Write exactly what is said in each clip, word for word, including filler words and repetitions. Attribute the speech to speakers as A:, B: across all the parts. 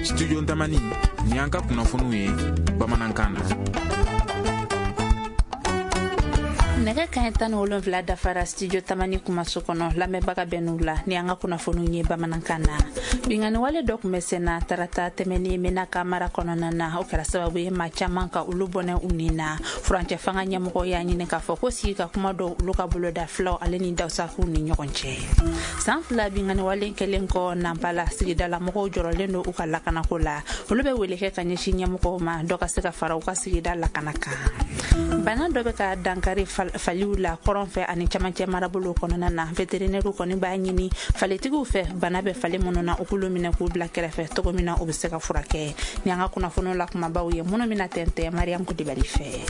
A: Studio Tamani, ni an ka kunnafoniw ye bamanankan na.
B: Nɛgɛ kaɲɛ tan ni wolonfila dafara Studio Tamani kumaso kɔnɔ, lamɛnbaga bɛ n'u la ni an ka kunnafoniw ye bamanankan na. Binkanni wale dɔ tun bɛ senna tarata tɛmɛnen Menaka mara kɔnɔna na, o kɛra sababu ye maa caman ka olu bɔnɛ u ni na. Furancɛ fanga ɲɛmɔgɔ y'a ɲini k'a fɔ ko sigi ka kuma dɔw olu ka boloda filaw ale ni dawusakuw ni ɲɔgɔn cɛ. San fila binkanni wale kɛlen kɔ Nanpala, sigidala mɔgɔw jɔrɔlen don u ka lakanako la. Olu bɛ wele kɛ ka ɲɛsin ɲɛmɔgɔw ma dɔ ka se ka fara u ka sigida lakana kan. Bana dɔ bɛ ka dankari faliw la kɔrɔn fɛ ani camancɛ marabolo kɔnɔna na. Vétérinaire kɔni b'a ɲini falitigiw fɛ bana bɛ fali minnu na, u k'olu minɛ k'u bila kɛrɛfɛ cogo min na u bɛ se ka furakɛ. Ni an ka kunnafoniw la kumabaw ye minnu bɛna tɛntɛn Mariam Kulibali fɛ.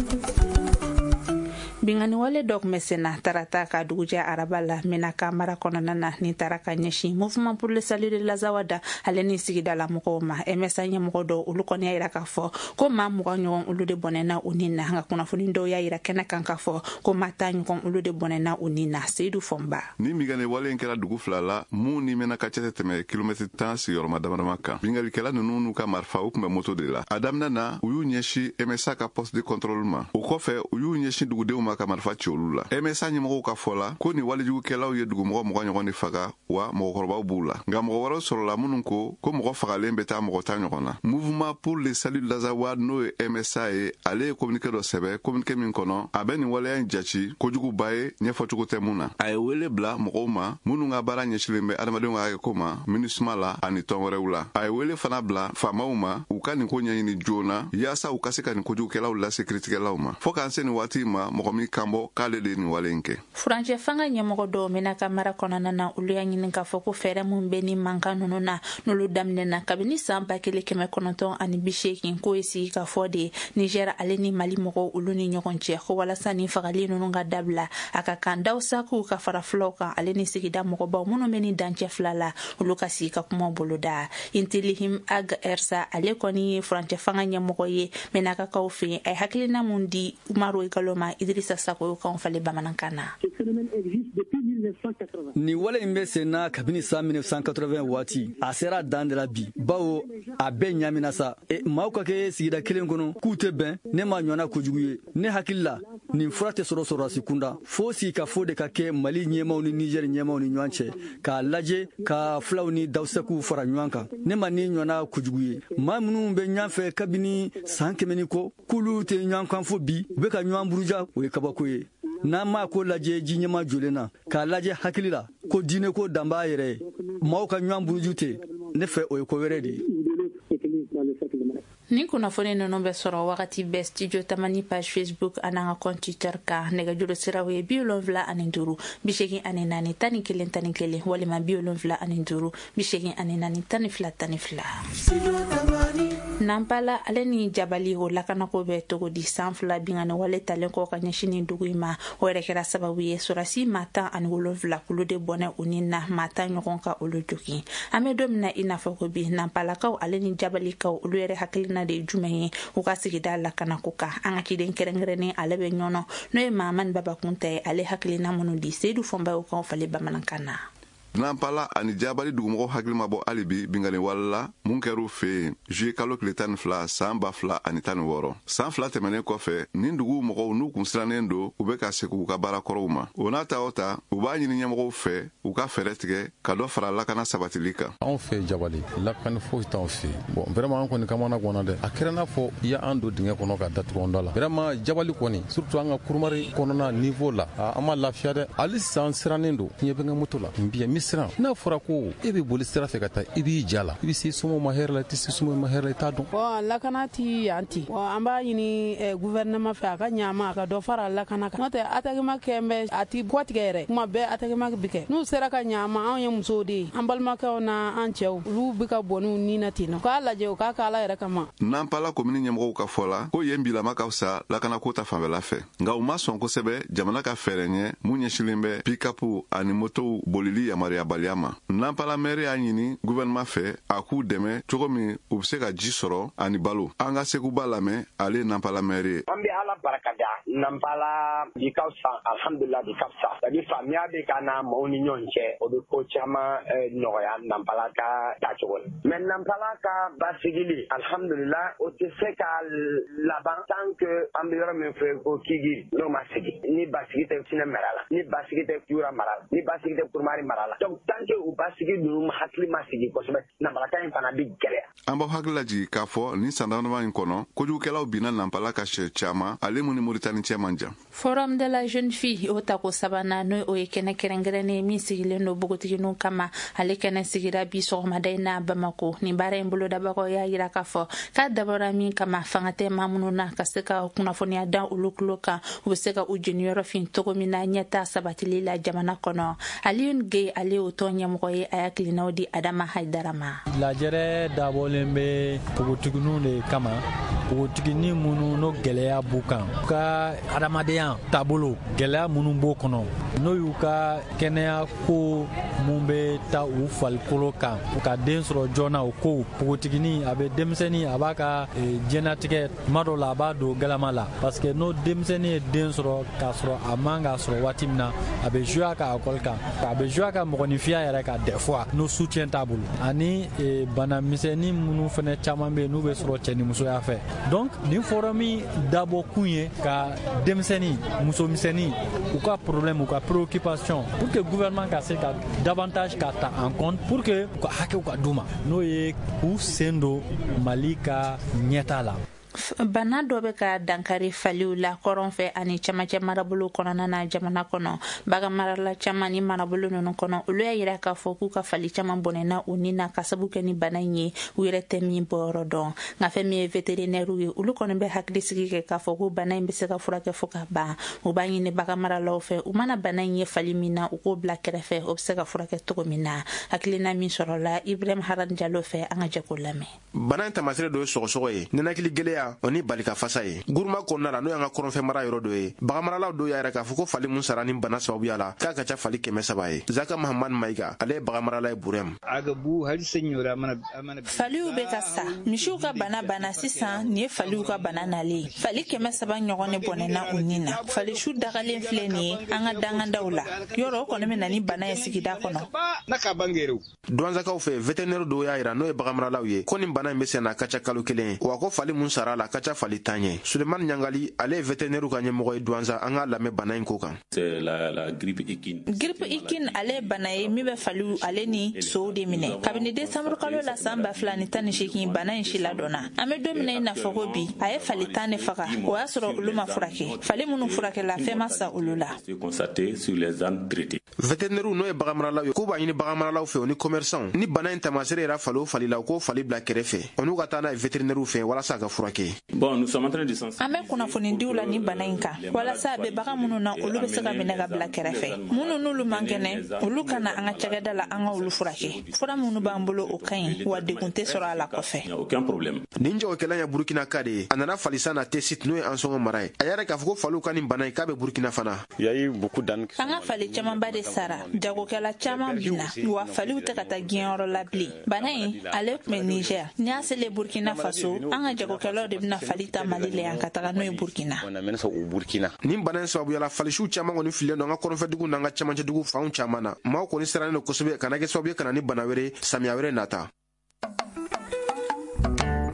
B: Binkanni wale dɔ tun bɛ senna tarata ka dugujɛ araba la Menaka mara kɔnɔna na, ni taara ka ɲɛsin Mouvement pour le salut de l'Azawad ale ni sigidala mɔgɔw ma. M S A ɲɛmɔgɔ dɔw olu kɔni y'a yira k'a fɔ ko maa mugan ɲɔgɔn olu de bɔnɛna u ni na, nka kunnafoni dɔw y'a yira kɛnɛ kan k'a fɔ ko maa tan ɲɔgɔn olu de bɔnɛna u ni na. Seyidu Fɔnba.
C: Ni binkanni wale in kɛra dugu fila la mun ni Menaka cɛ tɛ tɛmɛ kilomɛtiri tan sigiyɔrɔma damadama kan. Binkannikɛla ninnu n'u ka marifa u tun bɛ moto de la. A daminɛ na u y'u ɲɛsin M S A ka poste de contrôle ma. O kɔfɛ u y'u ɲɛsin dugudenw ma ka marifa ci olu la. M S A ɲɛmɔgɔw ka fɔ la ko nin walejugukɛlaw ye dugumɔgɔ mugan ɲɔgɔn de faga, wa mɔgɔkɔrɔbaw b'u la. Nka mɔgɔ wɛrɛw sɔrɔla minnu ko ko mɔgɔ fagalen bɛ taa mɔgɔ tan ɲɔgɔn na. Mouvement pour le salut de l'Azawad n'o ye M S A ye, ale ye communiqué dɔ sɛbɛn, communiqué min kɔnɔ a bɛ nin waleya in jate kojuguba ye ɲɛfɔcogo tɛ mun na. A ye wele bila mɔgɔw ma minnu ka baara ɲɛsilen bɛ adamadenw ka hakɛko ma MINUSMA la ani tɔn wɛrɛw la. A ye wele fana bila faamaw ma u ka nin ko ɲɛɲini joona yaasa u ka se ka nin kojugukɛlaw lase kiritigɛlaw ma. Fo k'an se nin waati ma mɔgɔ min kan bɔ k'ale de ye nin wale in kɛ.
B: Furancɛ fanga ɲɛmɔgɔ dɔw Menaka mara kɔnɔna na, olu y'a ɲini k'a fɔ ko fɛɛrɛ min bɛ ni mankan ninnu na n'olu daminɛna kabini san ba kelen kɛmɛ kɔnɔntɔn ani bi seegin, k'o ye sigi ka fɔ de Niger ale ni Mali mɔgɔw olu ni ɲɔgɔn cɛ, ko walasa ni fagali ninnu ka dabila a ka kan dawusakuw ka fara filaw kan ale ni sigida mɔgɔbaw minnu bɛ ni dancɛ fila la olu ka sigi ka kuma boloda. Intilihim Ag Ersa ale kɔni ye furancɛ fanga ɲɛmɔgɔ ye Menakakaw fɛ yen, a ye hakilina mun di Umaru Igalo ma Idrissa Sako y'o falen bamanankan na.
D: Nin wale in bɛ sen na kabini san mille neuf cent quatre-vingts waati, a sera dan de la bi, bawo a bɛɛ ɲamina sa. E, maaw ka kɛ sigida kelen kɔnɔ k'u tɛ bɛn, ne ma ɲɔgɔnna kojugu ye. Ne hakili la nin fura tɛ sɔrɔ sɔrɔdasi kunda, fo sigikafo de ka kɛ Mali ɲɛmaw ni Niger ɲɛmaw ni ɲɔgɔn cɛ k'a lajɛ ka filaw ni dawusɛkuw fara ɲɔgɔn kan. Ne ma nin ɲɔgɔnna kojugu ye. Maa minnu bɛ ɲɔgɔn fɛ kabini san kɛmɛ ni kɔ k'olu tɛ ɲɔgɔn kan fo bi, u bɛ ka ɲɔgɔn buruja, o ye kabako ye. N'an m'a ko lajɛ ji ɲɛma jolen na k'a lajɛ hakili la ko diinɛ ko dan b'a yɛrɛ ye, maaw ka ɲɔgɔn buruju tɛ, ne fɛ o ye ko wɛrɛ de ye.
B: Ni kunnafoni ninnu bɛ sɔrɔ wagati bɛɛ Studio Tamani page Facebook ani an ka compte Twitter kan. Nɛgɛjuru siraw ye bi wolonfila ani duuru bi seegin ani naani tan ni kelen tan ni kelen walima bi wolonfila ani duuru bi seegin ani naani tan ni fila tan ni fila. Nanpala ale ni Jabali o lakanako bɛ cogo di? San fila binkanni wale talen kɔ ka ɲɛsin nin dugu in ma, o yɛrɛ kɛra sababu ye sɔrɔdasi maa tan ani wolonfila k'olu de bɔnɛ u ni na, maa tan ɲɔgɔn ka olu jogin. An bɛ don min na i n'a fɔ ko bi, Nanpalakaw ale ni Jabalikaw olu yɛrɛ hakilina de ye jumɛn ye u ka sigida lakanako kan? An ka ciden kɛrɛnkɛrɛnnen ale bɛ ɲɔnɔ n'o ye Mahamani Babakunta ye, ale hakilina minnu di Seyidu Fɔnba y'o kan falen bamanankan na.
C: Nanpala ani Jabali dugumɔgɔw hakili ma bɔ hali bi binkanni wale la mun kɛr'u fɛ yen juillet kalo tile tan ni fila san ba fila ani tan ni wɔɔrɔ. San fila tɛmɛnen kɔfɛ, nin duguw mɔgɔw n'u kun sirannen don, u bɛ ka segin u ka baara kɔrɔw ma. O n'a ta o ta, u b'a ɲini ɲɛmɔgɔw fɛ u ka fɛɛrɛ tigɛ ka dɔ fara lakana sabatili kan.
E: Anw fɛ Jabali lakana foyi t'anw fɛ. Bon vraiment an kɔni kamana ganna dɛ. A kɛra n'a fɔ i y'an don dingɛ kɔnɔ ka datugu an da la. Vraiment Jabali kɔni surtout an ka kurumari kɔnɔna niveau la, an ma lafiya dɛ. Hali sisan sirannen don. Ɲɛ bɛ n ka moto la. N bi siran n'a fɔra ko e bɛ boli sira fɛ ka taa i b'i ja la, i bɛ se somɔgɔw ma hɛrɛ la, i tɛ se somɔgɔw ma hɛrɛ la, i t'a dɔn.
F: Bon lakana ti yan ti. Bon an b'a ɲini gouvernement fɛ a ka ɲa ma a ka dɔ fara lakana kan. N'o tɛ attaquement kɛ bɛ a ti bɔ tigɛ yɛrɛ. Kuma bɛɛ attaquement bi kɛ. N'u sera ka ɲa ma, anw ye musow de ye. An balimakɛw n'an cɛw olu bɛ ka bɔ n'u ni na ten nɔ. K'a lajɛ u k'a kɛ Ala yɛrɛ kama.
C: Nanpala komini ɲɛmɔgɔw ka fɔ la ko yen bilama ka fisa lakanako ta fanfɛla fɛ, nka u ma sɔn kosɛbɛ jamana ka fɛɛrɛ ɲɛ mun ɲɛsinnen bɛ pikapu ani motow bolili yamaruya baliya ma. Nanpala mɛri y'a ɲini gouvernement fɛ a k'u dɛmɛ cogo min u bɛ se ka ji sɔrɔ ani balo. An ka Seguba lamɛn, ale ye Nanpala mɛri ye.
G: An bɛ Ala barika da Nanpala bi ka fisa, alhamdulillah bi ka fisa. C'est à dire faamuya bɛ ka na maaw ni ɲɔgɔn cɛ, o bɛ ko caman nɔgɔya Nanpala ka taacogo la. Mais Nanpala ka basigili, alhamdulillah, o tɛ se ka laban tant que an bɛ yɔrɔ min fɛ ko Kigi n'o ma sigi. Ni basigi tɛ Sinɛ mara la, ni basigi tɛ Yura mara la, ni basigi tɛ Kurumari mara la. Donc tant que u basigi ninnu hakili ma sigi kosɛbɛ, Nanpalaka in fana bɛ gɛlɛya.
C: An b'aw hakili lajigin k'a fɔ nin san damadama in kɔnɔ, kojugukɛlaw binna Nanpala ka sɛ caman, ale mun ni Moritani cɛ man jan.
B: Forum de la jeune fille o tako sabanan, n'o o ye kɛnɛ kɛrɛnkɛrɛnnen min sigilen don npogotigininw kama, ale kɛnɛ sigira bi sɔgɔmada in na Bamako. Nin baara in bolodabagaw y'a yira k'a fɔ k'a dabɔra min kama, fanga tɛ maa minnu na ka se ka kunnafoniya da olu tulo kan, u bɛ se ka u jeniyɔrɔ fin cogo min na ɲɛta sabatili la jamana kɔnɔ. Alioune Gueye, ale y'o tɔn ɲɛmɔgɔ ye, a y'a kilinaw di Adama Haidara ma.
H: Lajɛrɛ dabɔlen bɛ npogotigininw de kama, npogotiginin minnu n'o gɛlɛya b'u kan, u ka adamadenya taabolo gɛlɛya minnu b'o kɔnɔ, n'o y'u ka kɛnɛya ko mun bɛ taa u farikolo kan, u ka den sɔrɔ joona, o kow. Npogotiginin a bɛ denmisɛnnin, a b'a ka diɲɛnatigɛ tuma dɔw la a b'a don galama la, parce que n'o denmisɛnnin ye den sɔrɔ k'a sɔrɔ a man k'a sɔrɔ waati min na, a bɛ jouer a ka école kan, a bɛ jouer a ka mɔgɔninfinya yɛrɛ kan des fois n'o soutien t'a bolo, ani bana misɛnnin minnu fana caman bɛ yen n'u bɛ sɔrɔ cɛnimusoya fɛ. Donc nin forum dabɔ kun ye ka denmisɛnnin, musomisɛnnin, u ka problème, u ka préoccupation, pour que gouvernement ka se ka davantage ka ta en compte, pour que u ka hakɛw ka d'u ma, n'o ye k'u sen don Mali ka ɲɛta la.
B: Bana dɔ bɛ ka dankari faliw la kɔrɔn fɛ ani camancɛ marabolo kɔnɔna na jamana kɔnɔ. Bagan marala caman ni marabolo ninnu kɔnɔ, olu y'a yira k'a fɔ k'u ka fali caman bɔnɛna u ni na ka sabu kɛ ni bana in ye, u yɛrɛ tɛ min bɔyɔrɔ dɔn. Nka fɛn min ye vétérinaire ye, olu kɔni bɛ hakili sigi kɛ k'a fɔ ko bana in bɛ se ka furakɛ fo ka ban. U b'a ɲini bagan maralaw fɛ, u mana bana in ye fali min na, u k'o bila kɛrɛfɛ, o bɛ se ka furakɛ cogo min na. Hakilina min sɔrɔla Ibrahim Haran Jalo fɛ, an ka jɛ k'o lamɛn.
I: Bana in taamasere dɔ ye sɔgɔsɔgɔ ye, ninakili gɛlɛya o ni balika fasa ye. Guruma kɔnɔna la, n'o y'an ka kɔrɔnfɛ mara yɔrɔ dɔ ye, baganmaralaw dɔw y'a yira k'a fɔ ko fali mun sara ni bana sababuya la, k'a ka ca fali kɛmɛ saba ye. Zaka Mahamad Mayiga, ale ye baganmarala ye Burem.
B: Faliw bɛ ka sa, misiw ka bana banna sisan, nin ye faliw ka bana nalen ye. Fali kɛmɛ saba ɲɔgɔn de bɔnɛna u ni na. Falisiw dagalen filɛ nin ye an ka dangandaw la, yɔrɔ o kɔni bɛ na ni bana ye sigida kɔnɔ.
I: Duwanzakaw fɛ, vétérinaire dɔw y'a yira, n'o ye baganmaralaw ye, ko nin bana in bɛ sen na a ka ca kalo kelen ye, wa ko fali mun sara la ka ca fali tan ye. Sulemani Ɲangali, ale ye vétérinaire ka ɲɛmɔgɔ ye Duwanza, an k'a lamɛn bana in ko kan.
B: Grippe équine ale ye bana ye min bɛ faliw ale ni sow de minɛ. Kabini décembre kalo la san ba fila ni tan ni seegin, bana in si ladɔnna. An bɛ don min na i n'a fɔ ko bi, a ye fali tan de faga, o y'a sɔrɔ olu ma furakɛ. Fali minnu furakɛla, fɛn ma sa olu la.
I: Vétérinaire n'o ye baganmaralaw ye, k'u b'a ɲini baganmaralaw fɛ o ni commerçant, ni bana in taamasere yɛrɛ fali o fali la, u k'o fali bila kɛrɛfɛ, o n'u ka taa n'a ye vétérinaire fɛ walasa a ka furakɛ.
B: An bɛ kunnafonidiw la ni bana in kan, walasa a bɛ bagan minnu na, olu bɛ se ka minɛ ka bila kɛrɛfɛ. Minnu n'olu man kɛnɛ, olu ka na an ka cakɛda la, an ka olu furakɛ. Fura minnu b'an bolo, o ka ɲi, wa degun tɛ sɔrɔ a la kɔfɛ.
I: Nin jagokɛla ye Burukina ka de ye, a nana falisan na Tesit, n'o ye Ansɔngɔ mara ye. A yɛrɛ k'a fɔ ko faliw ka nin bana in k'a bɛ Burukina fana.
B: An ka fali camanba de sara, jagokɛla caman binna, wa faliw tɛ ka taa diɲɛyɔrɔ la bilen. Bana in ale tun bɛ Niger, n'i y'a selen Burkina Faso, an ka jagokɛlaw de bɛna fali ta Mali la yan ka taga n'o ye Burkina.
I: Nin bana in sababuya la, falisiw caman kɔni fililen don an ka kɔrɔnfɛdugu n'an ka camancɛdugu fanw caman na. Maaw kɔni sirannen don kosɛbɛ ka na kɛ sababu ye ka na ni bana wɛrɛ samiya wɛrɛ nata.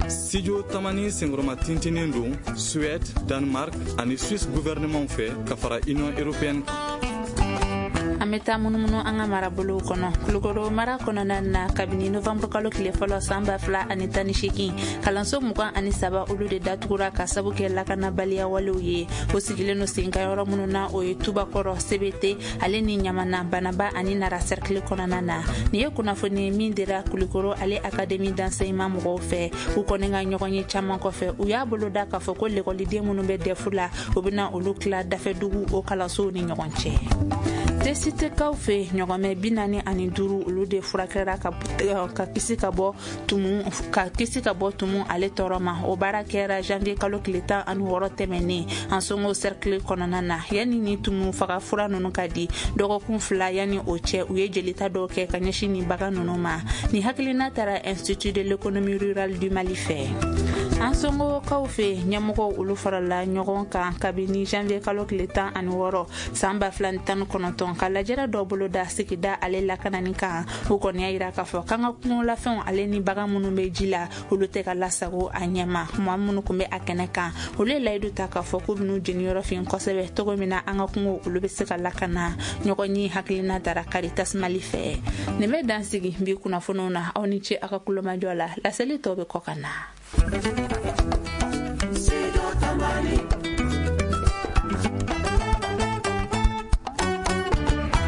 J: Studio Tamani senkɔrɔma tintinen don Suède, Danemark ani Suisse gouvernement fɛ ka fara Union européenne kan.
B: An bɛ taa munumunu an ka marabolow kɔnɔ. Kulukoro mara kɔnɔna na, kabini novembre kalo tile fɔlɔ san ba fila ani tan ni seegin, kalanso mugan ani saba olu de datugura ka sabu kɛ lakanabaliya walew ye. O sigilen don sen kan yɔrɔ minnu na, o ye Tubakɔrɔ, Sebete ale ni Ɲamana, Banaba ani Nara cercle kɔnɔna na. Nin ye kunnafoni min dira Kulukoro ale académie d'enseignement mɔgɔw fɛ. U kɔni ka ɲɔgɔn ye caman kɔfɛ, u y'a boloda k'a fɔ ko lekɔliden minnu bɛ dɛfu la, u bɛna olu tila dafɛdugu o kalansow ni ɲɔgɔn cɛ. Tesitekaw fɛ, ɲɔgɔnmɛ bi naani ani duuru olu de furakɛra ka ka kisi ka bɔ tumu ka kisi ka bɔ tumu ale tɔɔrɔ ma. O baara kɛra janvier kalo tile tan ani wɔɔrɔ tɛmɛnen Ansongo cercle kɔnɔna na. Yanni ni tumu faga fura ninnu ka di, dɔgɔkun fila yanni o cɛ, u ye jelita dɔw kɛ ka ɲɛsin nin bagan ninnu ma. Nin hakilina taara Institut de l'économie rurale du Mali fɛ. An somɔgɔw fɛ ɲɛmɔgɔw olu farala ɲɔgɔn kan kabini janvier kalo tile tan ani wɔɔrɔ san ba fila ni tan ni kɔnɔntɔn ka lajɛrɛ dɔ bolo da sigida ale lakanani kan. U kɔni y'a yira k'a fɔ k'an ka kungolafɛnw ale ni bagan minnu bɛ ji la, olu tɛ ka lasago a ɲɛma. Maa minnu tun bɛ a kɛnɛ kan, olu ye layidu ta k'a fɔ k'u bɛn'u jeniyɔrɔ fin kosɛbɛ cogo min na an ka kungo olu bɛ se ka lakana. Ɲɔgɔn ye hakilina dara Caritas Mali fɛ. Nin bɛ dan sigi bi kunnafoniw na. Aw ni ce aw ka kulomajɔ la. Laseli tɔ bɛ kɔ ka na.